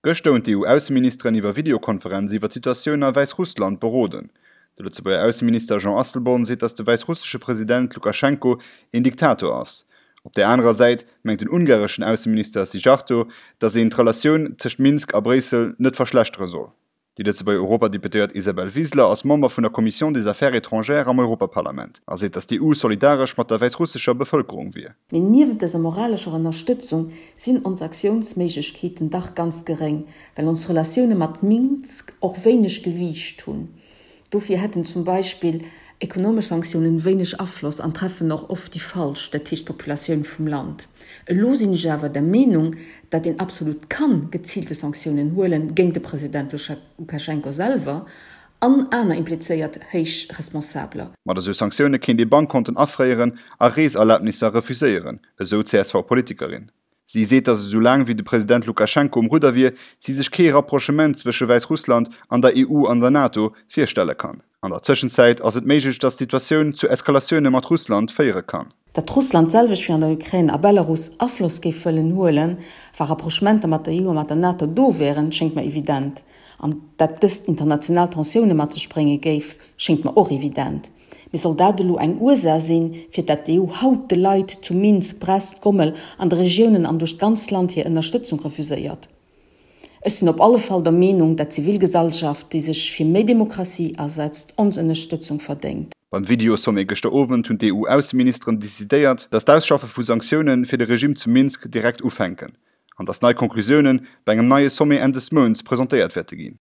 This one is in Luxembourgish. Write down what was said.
Gëschter hunn d'EU-Ausseministeren iwwer Videokonferenz iwwer d'Situatioun a Wäissrussland beroden. De Lëtzebuerger Ausseminister Jean Asselborn seet, datt de wäissrussesche President Lukaschenko een Diktator ass. Op där anerer Säit mengt den ungareschen Ausseminister Szijjarto, datt een d'Relatioun tëscht Minsk a Bréissel net verschlechtere soll. Déi Lëtzebuerger Europadeputéiert Isabel Wiseler ass Member vun der Commission des Affaires étrangères am Europaparlament a seet, datt d'EU solidaresch mat der wäissrussescher Bevëlkerung wier. Mee niewent dëser moralescher Ënnerstëtzung sinn ons Aktiounsméiglechkeeten dach ganz geréng, well ons Relatioune mat Minsk och wéineg Gewiicht hunn. Dofir hätten zum Beispill ekonomesch Sanktiounen wéineg Afloss an treffen och oft déi Falsch, dat heescht d'Populatioun vum Land. Elo sinn ech awer der Meenung, datt een absolut kann geziilte Sanktiounen huelen géint de President Lukaschenko selwer an aner implizéiert héich Responsabeler. Mat esou Sanktioune kéint ee Bankkonten afréieren a Reeserlabnisser refuséieren, esou d'CSV-Politikerin. Si seet, datt esou laang wéi de President Lukaschenko um Rudder wier, si sech kee Rapprochement zwësche Wäissrussland an der EU an der NATO virstelle kann. An der Tëschenzäit ass et méiglech, datt d'Situatioun zu Eskalatioune mat Russland féiere kann. Datt Russland d'selwecht wéi an der Ukrain a Belarus Afloss géif wëllen huelen, wa Rapprochementer mat der EU a mat der NATO do wären, schéngt mer evident. An datt dëst international Tensioune mat sech brénge géif, schéngt mer och evident. Mee soll dat elo eng Ursaach sinn, fir dat d'EU haut de Leit zu Minsk, Brest, Gomel, an de Regiounen an duerch d'ganz Land hir Ënnerstëtzung refuséiert? Ech sinn op alle Fall der Meenung, dat d'Zivilgesellschaft, déi sech fir méi Demokratie asetzt, ons Ënnerstëtzung verdéngt. Beim Video-Sommet gëschter Owend hunn d'EU-Ausseministeren decidéiert, datt d'Ausschaffe vu Sanktioune fir de Regimm zu Minsk direkt ufänken an datt nei Conclusioune bei engem neie Sommet Enn des Mounts presentéiert wäerte ginn.